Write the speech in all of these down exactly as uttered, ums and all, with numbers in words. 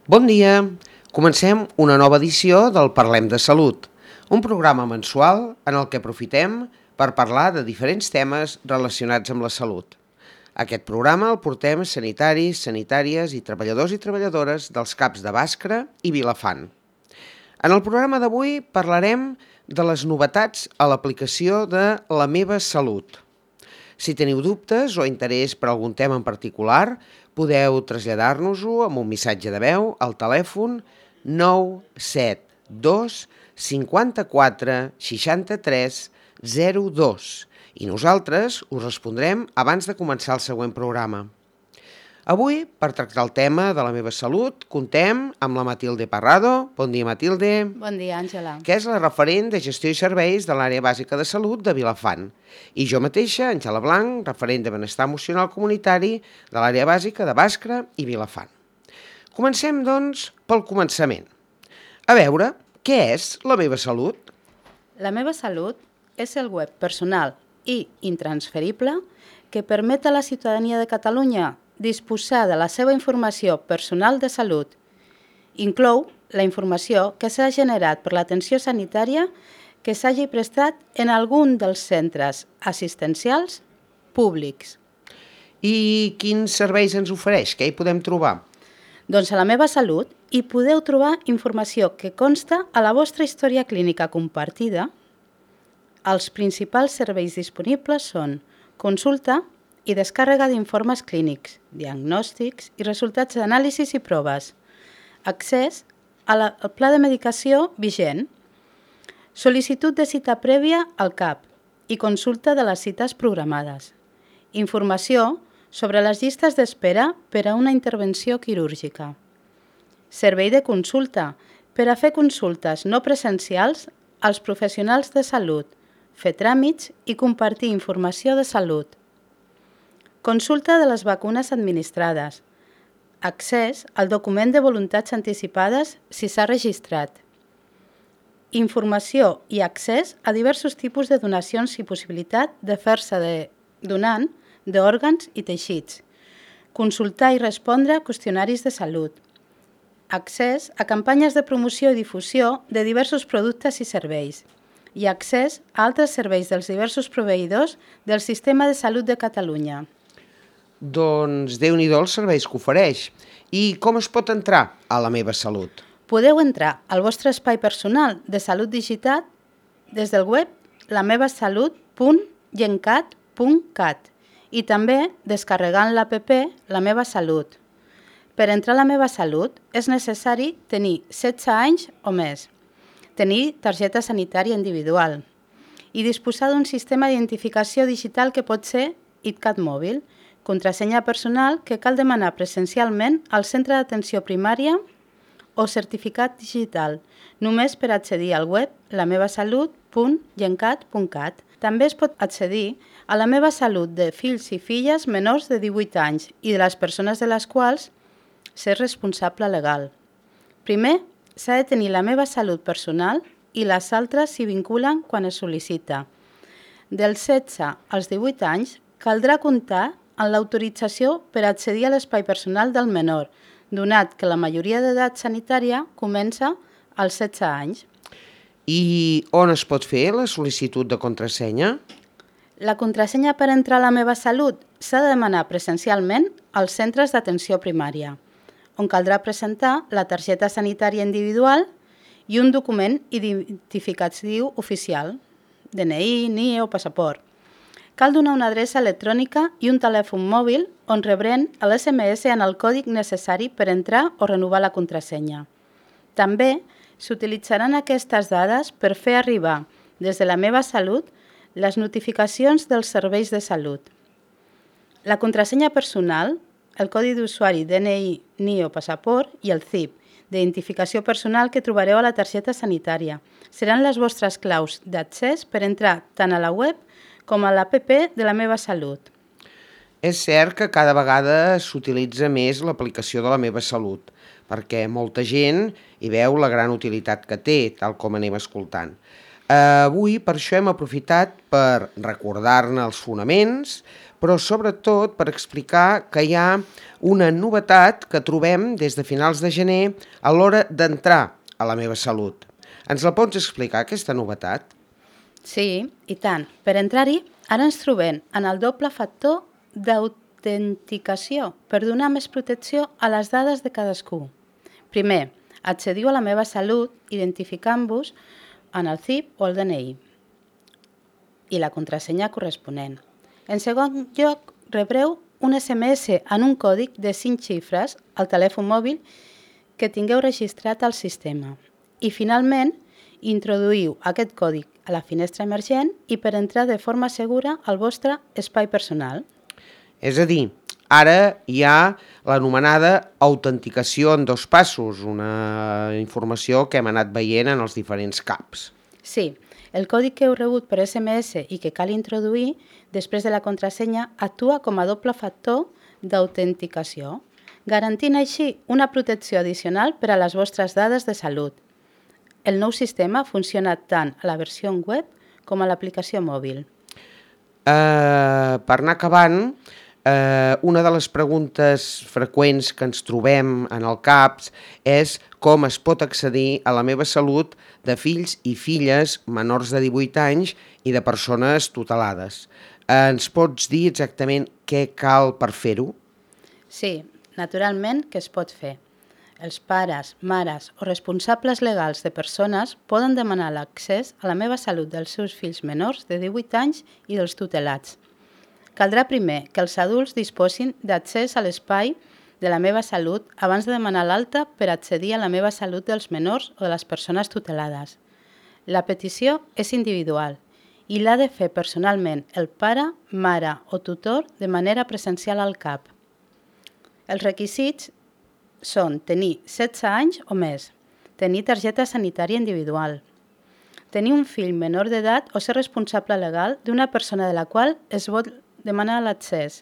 Bon dia! Comencem una nova edició del Parlem de Salut, un programa mensual en el que aprofitem per parlar de diferents temes relacionats amb la salut. Aquest programa el portem sanitaris, sanitàries i treballadors i treballadores dels CAPs de Bàscara i Vilafant. En el programa d'avui parlarem de les novetats a l'aplicació de La meva salut. Si teniu dubtes o interès per algun tema en particular, podeu traslladar-nos-ho amb un missatge de veu al telèfon nou set dos cinquanta-quatre seixanta-tres zero dos i nosaltres us respondrem abans de començar el següent programa. Avui, per tractar el tema de la meva salut, contem amb la Matilde Parrado. Bon dia, Matilde. Bon dia, Àngela. Que és la referent de gestió i serveis de l'àrea bàsica de salut de Vilafant. I jo mateixa, Àngela Blanc, referent de benestar emocional comunitari de l'àrea bàsica de Bàscara i Vilafant. Comencem, doncs, pel començament. A veure, què és La meva salut? La meva salut és el web personal i intransferible que permet a la ciutadania de Catalunya disposar de la seva informació personal de salut. Inclou la informació que s'ha generat per l'atenció sanitària que s'hagi prestat en algun dels centres assistencials públics. I quins serveis ens ofereix? Què hi podem trobar? Doncs a La meva salut hi podeu trobar informació que consta a la vostra història clínica compartida. Els principals serveis disponibles són consulta i descàrrega d'informes clínics, diagnòstics i resultats d'anàlisis i proves, accés a la, al pla de medicació vigent, sol·licitud de cita prèvia al CAP i consulta de les cites programades, informació sobre les llistes d'espera per a una intervenció quirúrgica, servei de consulta per a fer consultes no presencials als professionals de salut, fer tràmits i compartir informació de salut, consulta de les vacunes administrades, accés al document de voluntats anticipades si s'ha registrat, informació i accés a diversos tipus de donacions i possibilitat de fer-se de donant d'òrgans i teixits, consultar i respondre a qüestionaris de salut, accés a campanyes de promoció i difusió de diversos productes i serveis i accés a altres serveis dels diversos proveïdors del Sistema de Salut de Catalunya. Doncs Déu-n'hi-do els serveis que ofereix. I com es pot entrar a La meva salut? Podeu entrar al vostre espai personal de salut digital des del web la meva salut punt gencat punt cat i també descarregant l'app La meva salut. Per entrar a La meva salut és necessari tenir setze anys o més, tenir targeta sanitària individual i disposar d'un sistema d'identificació digital que pot ser ITCAT mòbil, contrasenya personal que cal demanar presencialment al centre d'atenció primària o certificat digital, només per accedir al web la meva salut punt gencat punt cat. També es pot accedir a La meva salut de fills i filles menors de divuit anys i de les persones de les quals ser responsable legal. Primer, s'ha de tenir La meva salut personal i les altres s'hi vinculen quan es sol·licita. Dels setze als divuit anys caldrà comptar en l'autorització per accedir a l'espai personal del menor, donat que la majoria d'edat sanitària comença als setze anys. I on es pot fer la sol·licitud de contrasenya? La contrasenya per entrar a La meva salut s'ha de demanar presencialment als centres d'atenció primària, on caldrà presentar la targeta sanitària individual i un document identificatiu oficial, D N I, N I E o passaport. Cal donar una adreça electrònica i un telèfon mòbil on rebrem l'S M S en el còdig necessari per entrar o renovar la contrasenya. També s'utilitzaran aquestes dades per fer arribar des de La meva salut les notificacions dels serveis de salut. La contrasenya personal, el codi d'usuari D N I, N I E o passaport i el C I P, d'identificació personal que trobareu a la targeta sanitària, seran les vostres claus d'accés per entrar tant a la web com a l'app de La meva salut. És cert que cada vegada s'utilitza més l'aplicació de La meva salut, perquè molta gent hi veu la gran utilitat que té, tal com anem escoltant. Avui per això hem aprofitat per recordar-ne els fonaments, però sobretot per explicar que hi ha una novetat que trobem des de finals de gener a l'hora d'entrar a La meva salut. Ens la pots explicar, aquesta novetat? Sí, i tant. Per entrar-hi, ara ens trobem en el doble factor d'autenticació per donar més protecció a les dades de cadascú. Primer, accediu a La meva salut identificant-vos en el C I P o el D N I i la contrasenya corresponent. En segon lloc, rebreu un S M S en un còdic de cinc xifres al telèfon mòbil que tingueu registrat al sistema. I finalment, introduïu aquest còdic a la finestra emergent i per entrar de forma segura al vostre espai personal. És a dir, ara hi ha l'anomenada autenticació en dos passos, una informació que hem anat veient en els diferents CAPs. Sí, el còdic que heu rebut per S M S i que cal introduir després de la contrasenya actua com a doble factor d'autenticació, garantint així una protecció addicional per a les vostres dades de salut. El nou sistema funciona tant a la versió web com a l'aplicació mòbil. Uh, per anar acabant, uh, una de les preguntes freqüents que ens trobem en el CAPS és com es pot accedir a La meva salut de fills i filles menors de divuit anys i de persones tutelades. Uh, ens pots dir exactament què cal per fer-ho? Sí, naturalment que es pot fer. Els pares, mares o responsables legals de persones poden demanar l'accés a La meva salut dels seus fills menors de divuit anys i dels tutelats. Caldrà primer que els adults disposin d'accés a l'espai de La meva salut abans de demanar l'alta per accedir a La meva salut dels menors o de les persones tutelades. La petició és individual i l'ha de fer personalment el pare, mare o tutor de manera presencial al CAP. Els requisits són tenir setze anys o més, tenir targeta sanitària individual, tenir un fill menor d'edat o ser responsable legal d'una persona de la qual es vol demanar l'accés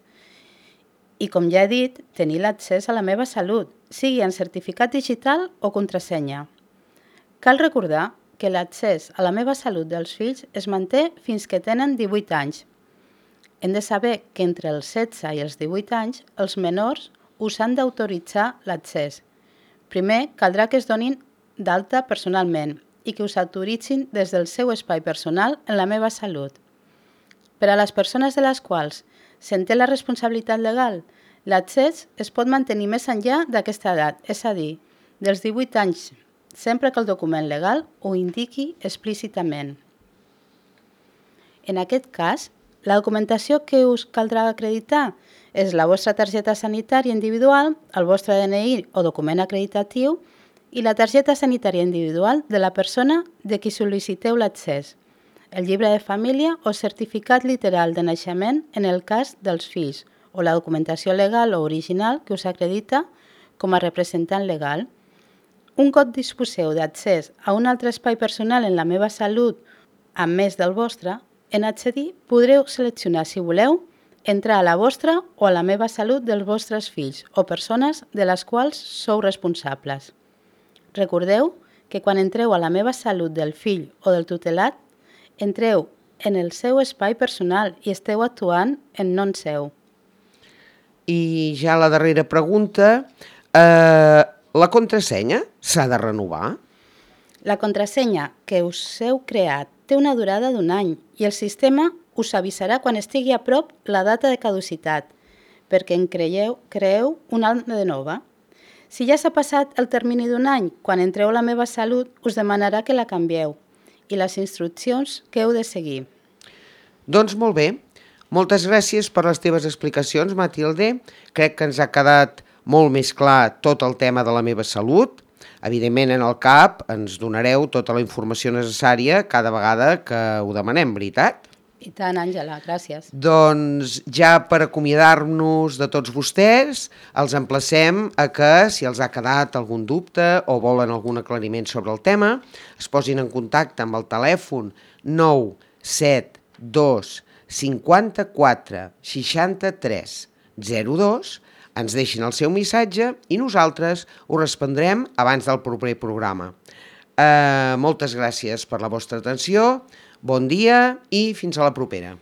i, com ja he dit, tenir l'accés a La meva salut, sigui en certificat digital o contrasenya. Cal recordar que l'accés a La meva salut dels fills es manté fins que tenen divuit anys. Hem de saber que entre els setze i els divuit anys els menors us han d'autoritzar l'accés. Primer, caldrà que es donin d'alta personalment i que us autoritzin des del seu espai personal en La meva salut. Per a les persones de les quals se'n té la responsabilitat legal, l'accés es pot mantenir més enllà d'aquesta edat, és a dir, dels divuit anys, sempre que el document legal ho indiqui explícitament. En aquest cas, la documentació que us caldrà acreditar és la vostra targeta sanitària individual, el vostre D N I o document acreditatiu i la targeta sanitària individual de la persona de qui sol·liciteu l'accés, el llibre de família o certificat literal de naixement en el cas dels fills o la documentació legal o original que us acredita com a representant legal. Un cop disposeu d'accés a un altre espai personal en La meva salut, a més del vostre, en accedir podreu seleccionar, si voleu, entrar a la vostra o a La meva salut dels vostres fills o persones de les quals sou responsables. Recordeu que quan entreu a La meva salut del fill o del tutelat, entreu en el seu espai personal i esteu actuant en nom seu. I ja la darrera pregunta, eh, la contrasenya s'ha de renovar? La contrasenya que us heu creat té una durada d'un any i el sistema us avisarà quan estigui a prop la data de caducitat, perquè en creieu, creeu una de nova. Si ja s'ha passat el termini d'un any, quan entreu a La meva salut, us demanarà que la canvieu i les instruccions que heu de seguir. Doncs molt bé. Moltes gràcies per les teves explicacions, Matilde. Crec que ens ha quedat molt més clar tot el tema de La meva salut. Evidentment, en el CAP ens donareu tota la informació necessària cada vegada que ho demanem, veritat? I tant, Àngela, gràcies. Doncs ja per acomiadar-nos de tots vostès, els emplacem a que, si els ha quedat algun dubte o volen algun aclariment sobre el tema, es posin en contacte amb el telèfon nou set dos cinquanta-quatre seixanta-tres zero dos, ens deixin el seu missatge i nosaltres ho respondrem abans del proper programa. Eh, moltes gràcies per la vostra atenció, bon dia i fins a la propera.